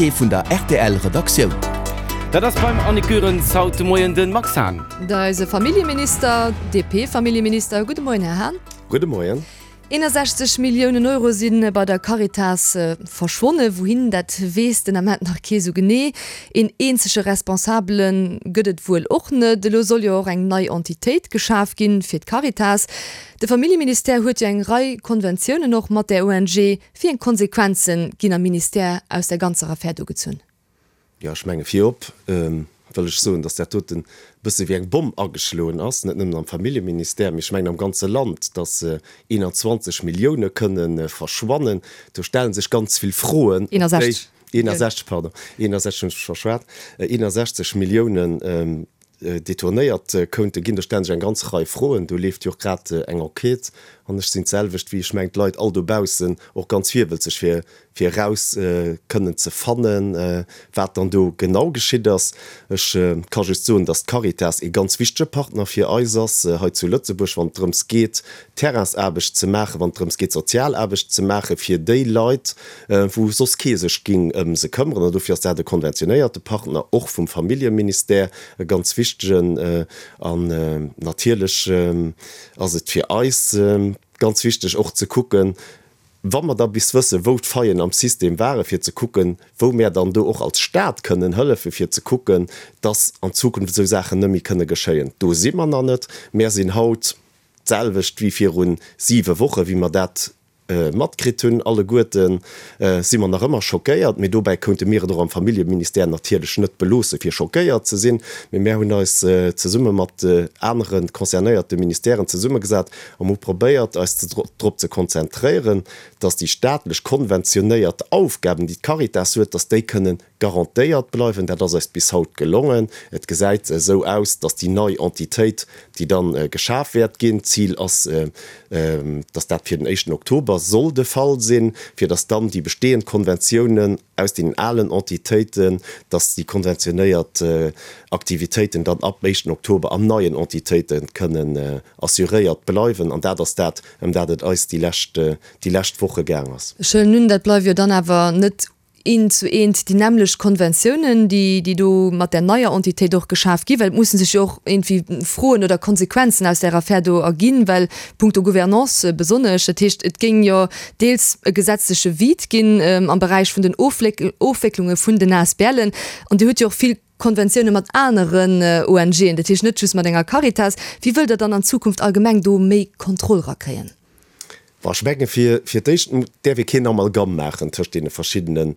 Invité vun der rtl Redaktioun. Dat ass beim Annick Goerens haut de Moien de Max Hahn. Eise Familljeminister, DP-Familljeminister. Gudde Moien, Här Hahn. Gudde Moien. 61 Milliounen Euro si bei der Caritas verschwonnen. Wouhin, dat weess den Ament nach kee sou genee. Een eenzege Responsabele gëtt et wuel och net. Elo soll jo och eng nei Entitéit geschaf ginn fir d'Caritas. De Familljeministère huet jo eng Rei Konventiounen och mat där ONG. Wéi eng Konsequenze ginn am Ministère aus där ganzer Affär do gezunn? Jo, ech menge virop wëll ech soen, datt dat doten e bësse wéi eng Bomm ageschloen ass, net nëmmen am Familljeministère, mee ech mengen am ganze Land, datt 21 Millioune kënne verschwannen. Do stelle sech ganz vill Froen, op déi. 61, pardon, 61, hunn ech mech verschwat, 61 Milliounen detournéiert kounte ginn. Do stellen sech eng ganz Rei Froen. Do leeft jo och grad eng Enquête an ech sinn d'selwecht wéi, ech mengen, d'Leit all dobaussen och ganz virwëlzeg fir fir eraus kënnen ze fannen, wat dann do genau geschitt ass. Ech ka just soen, dass d'Caritas ee ganz wichtege Partner fir eis ass hei zu Lëtzebuerg, wann et drëms geet, Terrainsaarbecht ze maachen, wann et drëms geet, Sozialaarbecht ze maache fir déi Leit, wou soss kee sech géing ëm se këmmeren. An dofir ass dat e konventionéierte Partner, och vum Familljeministère, e ganz wichtegen. An natierlech ass et fir eis ganz wichteg och ze kucken, wa mer da bis wëssen, wou d'Faillen am System waren, fir ze kucken, wou mär dann do och als Stat kënnen hëllefen, fir ze kucken, dass an Zukunft esou Saachen net méi kënne geschéien. Do si mer nach net. Mär sinn haut d'selwecht wéi viru siwe Wochen, wéi mer dat matkritt hunn. Alleguerte si mer nach ëmmer schockéiert, mee dobäi kounte mir et och am Familljeministère natierlech net beloosse fir schockéiert ze sinn. Mee mär hunn eis zesumme mat anere concernéierte Ministèren zesummegesat A mer hu probéiert, eis drop ze konzentréieren, dass déi staatlech konventionéiert Aufgaben, déi d'Caritas huet, dass déi kënnen garantéiert bleiwen. Dat ass eis bis haut gelongen. Et gesäit esou aus, dass déi nei Entitéit, déi dann geschaf wäert ginn, d'Zil ass, dass dat fir den éischten Oktober soll de Fall sinn, fir dass dann déi bestehend Konventiounen aus deenen alen Entitéiten, dass déi konventionéiert Aktivitéiten dann ab éischten Oktober an neien Entitéite kënnen assuréiert bleiwen. An dat ass dat, ëm dat et eis déi lescht, déi lescht Woche gaang ass. Ech huelen un, dat bleiwe jo dann awer net eent zu eent déi nämmlecht Konventiounen, déi, déi do mat där neier Entitéit och geschaf ginn, well et musse sech jo och iergendwéi Froen oder Konsequenzen aus där Affär do erginn, well punkto Gouvernance besonnesch, dat heescht, et géing jo deels e gesetzleche Vide ginn am Beräich vun den Ofwécklunge vun den ASBLen an Dir hutt jo och vill Konventioune mat aneren ONGen, dat heescht net just mat enger Caritas. Wéi wëllt Der dann an Zukunft allgemeng do méi Kontroll rakréien? Bon, ech menge fir fir d'éischt däerf ee keen Amalgam maachen tëscht deene verschiddenen,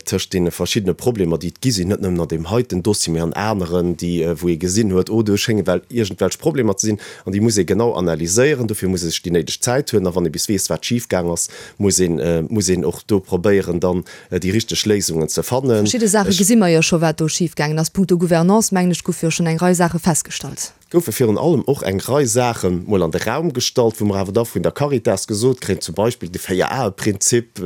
tëscht deene verschiddene Problemer, déi et gi sinn, net nëmmen an deem heiten Dossier, mee an aneren, déi wou ee gesinn huet, oh do schénge well iergendwelch Problemer ze sinn. An déi muss ee genau analyséieren. Dofir muss ee sech déi néideg Zäit huelen. A wann ee bis weess, wat schifgaang ass, muss een, muss een och do probéieren, dann déi richteg Léisungen ze fannen. Verschidde Saache gesi mer jo scho wat do schifgaangen ass. Punkto Gouvernance, mengen ech, goufe jo schonn eng Rei Saache festgestallt. Goufe virun allem och eng Rei Saache mol an de Raum gestallt, wou mer awer da vun der Caritas gesot kréien, zum Beispill de Véier-Ae-Prinzip,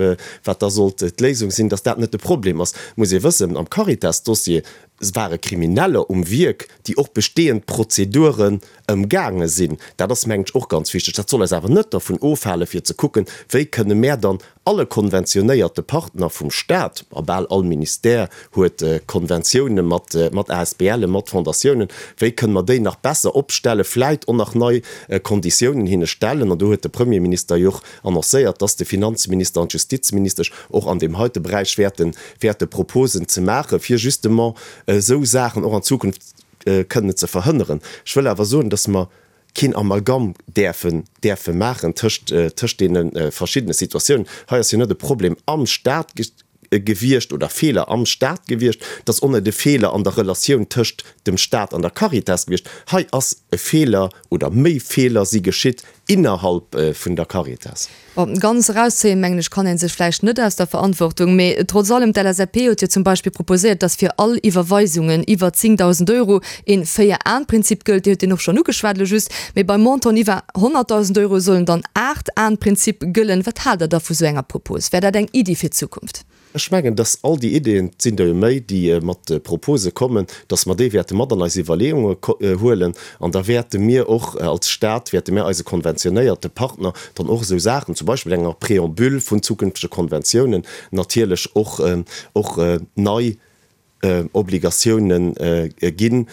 wat da sollt d'Léisung sinn, dass dat net de Problem ass. Muss ee wëssen, am Caritas-Dossier ware Krimineller um Wierk, déi och bestehend Prozeduren ëmgaange sinn. Dat ass, mengen ech, och ganz wichteg. Dat soll eis awer net dervun ofhalen, fir ze kucken, wéi kënne mär dann alle konventionéierte Partner vum Stat, a bal all Ministère huet Konventioune mat mat ASBLen, mat Fondatiounen, wéi kënne mer déi nach besser opstellen, vläit och nach nei Konditiounen hinne stellen. An do huet de Premierminister jo och annoncéiert, dass de Finanzminister an d'Justizministesch och an deem heite Beräich wäerten wäerte Proposen ze maachen, fir justement esou Saachen och an Zukunft kënnen ze verhënneren. Ech wëll awer soen, dass mer keen Amalgam däerfen däerfe maachen tëscht tëscht deene verschiddene Situatiounen. Hei ass jo net e Problem am Stat gewiescht oder Feeler am Stat gewiescht, et ass och net e Feeler an der Relatioun tëscht dem Stat an der Caritas gewiescht. Hei ass e Feeler oder méi Feeler si geschitt innerhalb vun der Caritas. Bon, ganz erauszéien, mengen ech, kann ee sech vläicht net aus der Verantwortung. Mee trotz allem, d'LSAP huet jo zum Beispill proposéiert, dass fir all Iwwerweisungen iwwer 10.000 Euro een Véier-Aen-Prinzip gëllt. Dir hutt deen och schonn ugeschwat elo just. Mee bei Montanten iwwer 100.000 Euro sollen dann Aacht-Aen-Prinzip gëllen. Wat haalt Der da vu sou enger Propos? Wär dat eng Iddi fir d'Zukunft? Ech mengen, dass all déi Ideeën, et sinn der jo méi, déi mat Propose kommen, dass mer déi wäerte mat an eis Iwwerleeunge huelen. An da wäerte mir och als Stat, wäerte mir eise Konventiounen. konventionéierte Partner dann och esou Saachen, zum Beispill enger Préambule vun zukünftege Konventiounen, natierlech och och nei Obligatiounen ginn,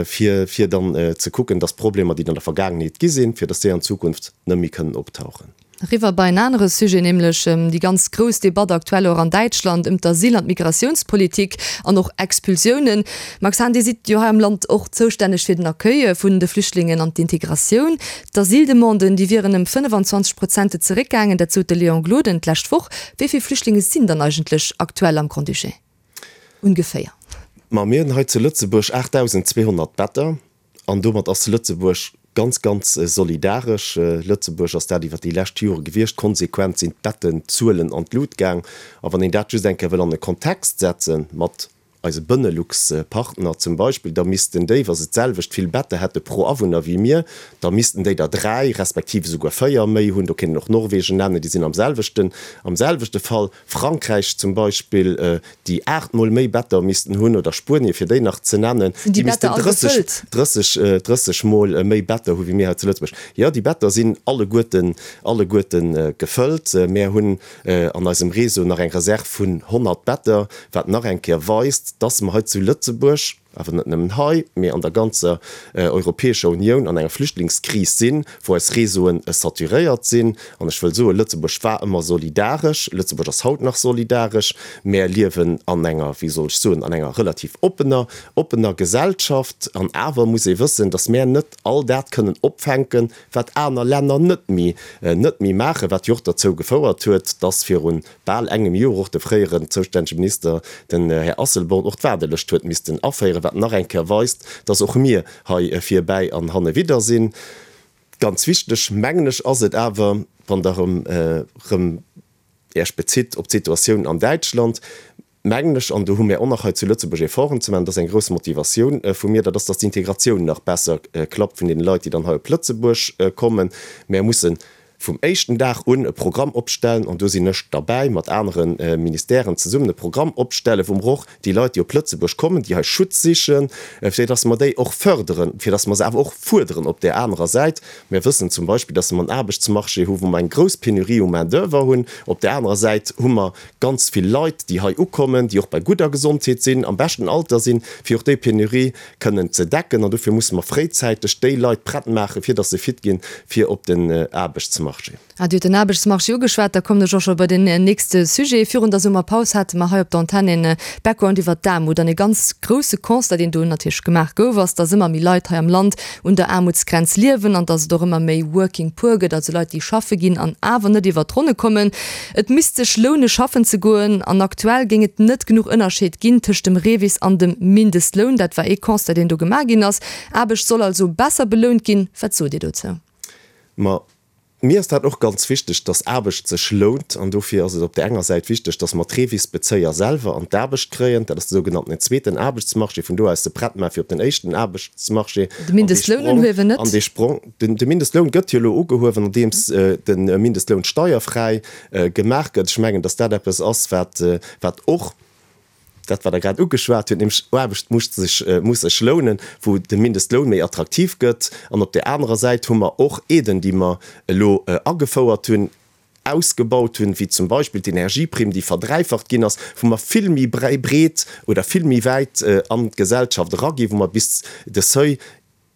fir fir dann ze kucken, dass Problemer, déi et an der Vergaangenheet gi sinn, fir dass déi an Zukunft net méi kënnen optauchen. Eriwwer bei en anere Sujet, nämlech déi ganz grouss Debatt aktuell och an Däitschland ëm d'Asyl an d'Migratiounspolitik an och Expulsiounen. Max Hahn, Dir sidd jo hei am Land och zoustänneg fir den Accueil vun de Flüchtlingen an d'integratioun. D'Asyldemanden, déi wieren ëm 25 Prozente zeréckgaangen, dat sot de Léon Gloden d'lescht Woch. Wéi vill Flüchtlinge sinn dann eigentlech aktuell am Grand-Duché ongeféier? Ma mir hunn hei zu Lëtzebuerg 8.200 Better. An domat ass Lëtzebuerg ganz, ganz solidaresch. Lëtzebuerg ass dat iwwer déi lescht Jore gewiescht. Konsequent sinn d'Bettenzuelen an d'Lut gaang. A wann een dat just eng Kéier wëll an e Kontext setze mat eise Benelux-Partner zum Beispill, da missten déi, wa se d'selwecht vill Better hätte pro Awunner wéi mir, da missten déi der dräi respektiv esouguer véier méi hunn. Do kéint een och Norwegen nennen, déi sinn am selwechten, am selwechte Fall. Frankräich zum Beispill, déi 8 mol méi Better missten hunn, oder Spuenien, fir déi nach ze nennen, Sinn déi déi missten Better all 30, gefëllt? 30, 30 mol méi Better hu wéi mir hei zu Lëtzebuerg. Jo, déi Better sinn alleguerten, alleguerten gefëllt. Mär hunn an eisem Réseau nach eng Reserv vun 100 Better, wat nach eng Kéier weist, dass mer hei zu Lëtzebuerg, awer net nëmmen hei, mee an der ganzer Europäescher Unioun an enger Flüchtlingskris sinn, wou eis Réseauen saturéiert sinn. An ech wëll soen, Lëtzebuerg war ëmmer solidaresch, Lëtzebuerg ass haut nach solidaresch. Mär liewen an enger, wéi soll ech soen, an enger relativ oppener, oppener Gesellschaft. An awer muss ee wëssen, datt mär net all dat kënnen opfänken, wat aner Länner net méi, net méi maachen, wat jo och derzou gefouert huet, datt virun bal engem Joer och de fréieren zoustännege Minister, den Här Asselborn, och d'Waardelëscht huet missten aféieren, wat nach eng Kéier weist, dass och mir hei virbäi an hannewidder sinn. Ganz wichteg, mengen ech, ass et awer, wann Der erëm Iech bezitt op d'Situatioun an Däitschland, mengen ech, an do hu mir och nach hei zu Lëtzebuerg Efforten ze maachen, dat ass eng grouss Motivatioun vu mir, dat ass, dass d'Integratioun nach besser klappt vun deene Leit, déi dann hei op Lëtzebuerg kommen. Mir mussen vum éischten Dag un e Programm opstellen, an do sinn ech derbäi, mat anere Ministèren zesummen e Programm opstellen, wou mer och déi Leit, déi op Lëtzebuerg kommen, déi hei Schutz sichen, fir dass mer déi och förderen, fir dass mer se awer och fuerderen op där anerer Säit. Mir wëssen zum Beispill, dass mer en Aarbechtsmarché hu wou mer eng grouss Penurie u Main-d'oeuvre hunn. Op där anerer Säit hu mer ganz vill Leit, déi hei ukommen, déi och bei gudder Gesondheet sinn, am beschten Alter sinn, fir och déi Penurie kënnen ze decken. An dofir musse mer fréizäiteg déi Leit prett maachen, fir datt se fit ginn, fir op den Aarbechtsmarché. Ah, Dir hutt den Aarbechtsmarché ugeschwat, da kommen ech och scho bei den nächste Sujet. Virun der Summerpaus hate mer hei op der Antenn e Background iwwert d'Aarmut. An e ganz grousse Constat, deen do natierlech gemaach gouf, ass, datt ëmmer méi Leit hei am Land un der Aarmutsgrenz liewen an datt et och ëmmer méi Working Poor gëtt, also Leit, déi schaffe ginn an awer net iwwert d'Ronne kommen. Et misst sech loune schaffen ze goen an aktuell géing et net genuch Ënnerscheed ginn tëscht dem REVIS an dem Mindestloun. Dat war ee Constat, deen do gemaach ginn ass. Aarbecht soll also besser belount ginn. Wat sot Dir dozou? Ma mir ass dat och ganz wichteg, dass Aarbecht sech lount. An dofir ass et op där enger Säit wichteg, dass mer d'REVIS-Bezéier selwer an d'Aarbecht kréien. Dat ass de sougenannten zweeten Aarbechtsmarché, vun do aus se prett maachen fir op den éischten Aarbechtsmarché. De Mindestloun unhuewen net? An dee Sprong, De Mindestloun gëtt jo elo ugehuewen, andeems de Mindestloun steierfräi gemaach gëtt. Ech mengen, datt dat eppes ass, wat, wat och dat, wat Der grad ugeschwat hutt, nämlech Aarbecht muss sech, muss sech lounen, wou de Mindestloun méi attraktiv gëtt. An op där anerer Säit hu mer och Aiden, déi mer elo agefouert hunn, ausgebaut hunn, wéi zum Beispill d'Energieprimm, déi verdräifacht ginn ass, wou mer vill méi breet oder vill méi wäit an d'Gesellschaft eraginn, wou mer bis de Seuil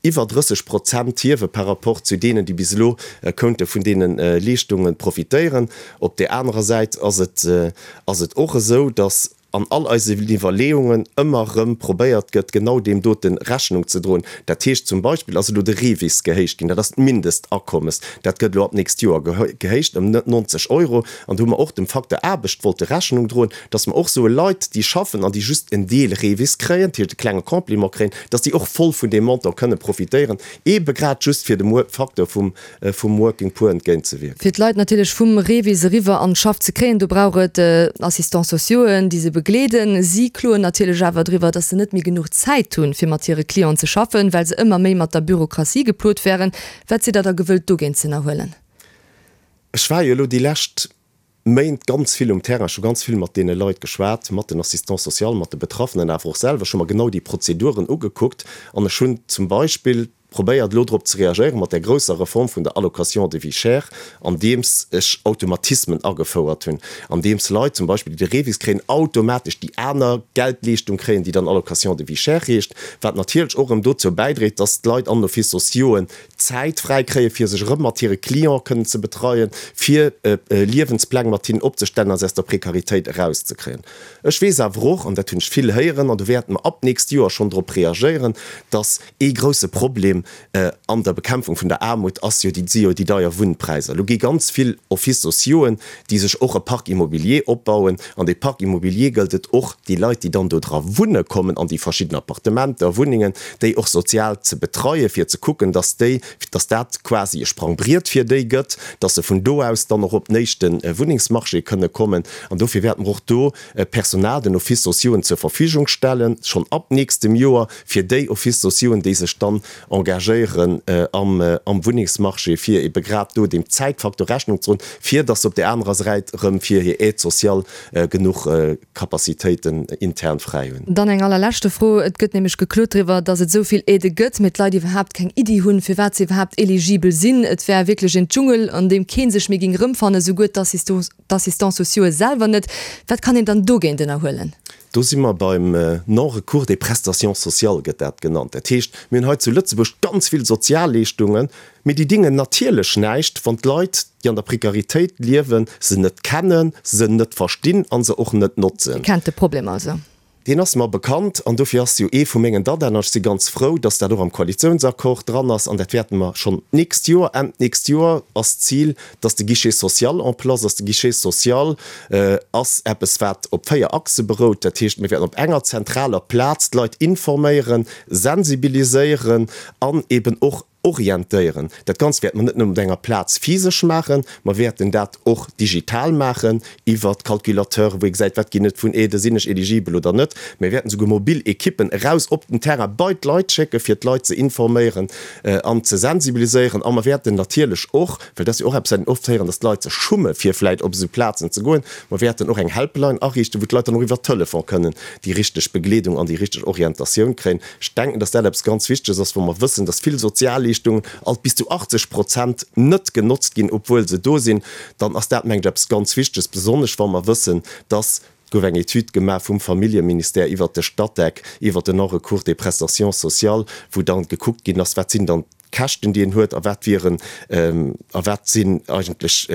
iwwer 30 Prozent hiewe par rapport zu deenen, déi bis elo kounte vun deene Leeschtunge profitéieren. Op där anerer Säit ass et ass et och esou, datt an all eisen Iwwerleeungen ëmmer erëm probéiert gëtt, genau deem dote Rechnung ze droen. Dat heescht zum Beispill ass elo de REVIS gehéicht ginn, dat ass d'Mindestakommes, dat gëtt elo ab d'nächst Joer gehéicht ëm 90 Euro. An do hu mer och dem Facteur Aarbecht wollte Rechnung droen, datt mer och soe Leit, déi schaffen an déi just en Deel REVIS kréien, dat heescht e klenge Complément kréien, datt déi och voll vun deem Montant kënne profitéieren, eebe grad just fir dem Facteur vum vum Working Poor entgéintzewierken. Fir d'Leit natierlech vum REVIS eriwwer an d'Schaff ze kréien, do brauch et Assistants sociauxen, déi se begleeden. Si kloen natierlech awer driwwer, datt se net méi genuch Zäit hunn, fir mat hire Clienten ze schaffen, well se ëmmer méi mat der Bürokratie geplot wären. Wat sidd Der da gewëllt dogéint ze ënnerhuelen? Ech war jo elo déi lescht Méint ganz vill um Terrain, ech hu ganz vill mat deene Leit geschwat, mat den Assistants sociaux, mat de Betraffenen, awer och selwer. Ech hu mer genau déi Prozeduren ugekuckt an ech hunn zum Beispill. Probéiert elo drop ze reagéieren mat där grousser Reform vun der Allocation de vie chère, andeems ech Automatismen agefouert hunn, andeems Leit zum Beispill, déi de REVIS kréien, automatesch déi aner Geldleeschtung kréien, déi dann Allocation de vie chère heescht, wat natierlech och erëm dozou bäidréit, dass d'Leit an den Offices sociauxen Zäit fräi kréien, fir sech erëm mat hire Cliente kënnen ze betreien, fir Liewenspläng mat hinnen opzestellen a se aus der Prekaritéit erauszekréien. Ech weess awer och, an dat hunn ech vill héieren, an do wäerte mer ab d'nächst Joer schonn drop reagéieren, dass Ee grousse Problem an der Bekämpfung vun der Aarmut ass jo déi, si jo déi deier Wunnpräisser. Elo gi ganz vill Offices sociauxen, déi sech och e Parc immobilier opbauen. An dee Parc immobilier gëllt et och, déi Leit, déi dann do dra wunne kommen, an déi verschidden Appartementer, Wunnengen, déi och sozial ze betreien, fir ze kucken, dass déi, dass dat quasi e Sprangbriet fir déi gëtt, dass se vun do aus dann och op den éischte Wunnengsmarché kënne kommen. An dofir wäerte mer och do Personal den Offices sociauxen zur Verfügung stellen, schonn ab nächstem Joer, fir déi Offices sociauxen, déi sech dann engagéieren am Wunnengsmarché, fir ebe grad do deem Zäitfaktor Rechnung ze droen, fir datt se op där anerer Säit erëm fir hir Aide sociale genuch Capacitéiten intern fräi hunn. Dann eng allerleschte Fro, Et gëtt nämlech geklot driwwer, datt et esou vill Aidë gëtt, mee d'Leit iwwerhaapt keng Iddi hunn, firwat se iwwerhaapt eligibel sinn. Et wär wierklech en Dschungel, an deem kee sech méi géing erëmfannen, souguer d'Assistants sociaux'e selwer net. Wat kann een dann dogéint ënnerhuelen? Do si mer beim Non-recours des prestations sociales, gëtt dat genannt. Dat heescht, mir hunn hei zu Lëtzebuerg ganz vill Sozialleeschtungen, mee déi dingen natierlech näischt, wann d'Leit, déi an der Prekaritéit liewen, se net kennen, se net verstinn a se och net notzen. Dir kennt de Problem also. Deen ass mer bekannt an dofir ass jo ee vu mengen Dadaen, an ech si ganz frou, dass dat och am Koalitiounsaccord dran ass, an dat wäerte mer schonn d'nächst Joer, Enn d'nächst Joer ass d'Zil, dass de Guichet social en place ass. De Guichet social ass eppes, wat op 4 Achse berout. Dat heescht, mir wäerten op enger zentraler Plaz d'Leit informéieren, sensibiliséieren an eben och orientéieren. Dat Ganzt wäerte mer net nëmmen op enger Plaz physesch maachen, mer wäerten dat och digital maachen iwwert Calculateuren, wou ee gesäit, wat ginn et vun Aiden, sinn ech eligibel oder net. Mir wäerten esouguer mobil Ekippen eraus op den Terrain bei d'Leit schécken, fir d'Leit ze informéieren an ze sensibiliséieren. A mer wäerten natierlech och, well dat ass jo och eppes, wat een oft héieren, dass d'Leit sech schumme fir vläit op esou Plazen ze goen, mer wäerten och eng Helpline ariichten, wou d'Leit dann och iwwer Telefon kënnen déi richteg Begleedung an déi richteg Orientatioun kréien. Ech denken, dass dat eppes ganz Wichteges ass, wou mer wëssen, dass vill Sozialleeschtungen alt bis zu 80 Prozent net genotzt ginn, obwuel se do sinn. Dann ass dat, mengen ech, eppes ganz Wichteges, besonnesch wa mer wëssen, dass, et gouf eng Etüd gemaach vum Familljeministère iwwert de Statec, iwwert den Non-recours des prestations sociales, wou dann gekuckt ginn ass, wat sinn dann d'Käschten, déi een huet a wat wieren a wat sinn eigentlech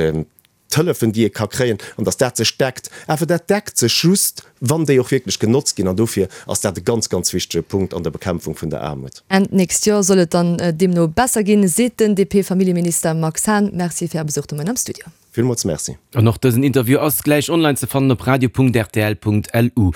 d'Hëllefen, déi ee ka kréien, an datt dat sech deckt. Awer dat deckt sech just, wann déi och wierklech genotzt ginn. An dofir ass dat e ganz, ganz wichtege Punkt an der Bekämpfung vun der Aarmut. Enn d'nächst Joer soll et dann deemno besser ginn, seet den DP-Familljeminister Max Hahn. Merci fir Är Besuch de Moien am Studio. Villmools Merci. An och dësen Interview ass gläich online ze fannen op radio.rtl.lu.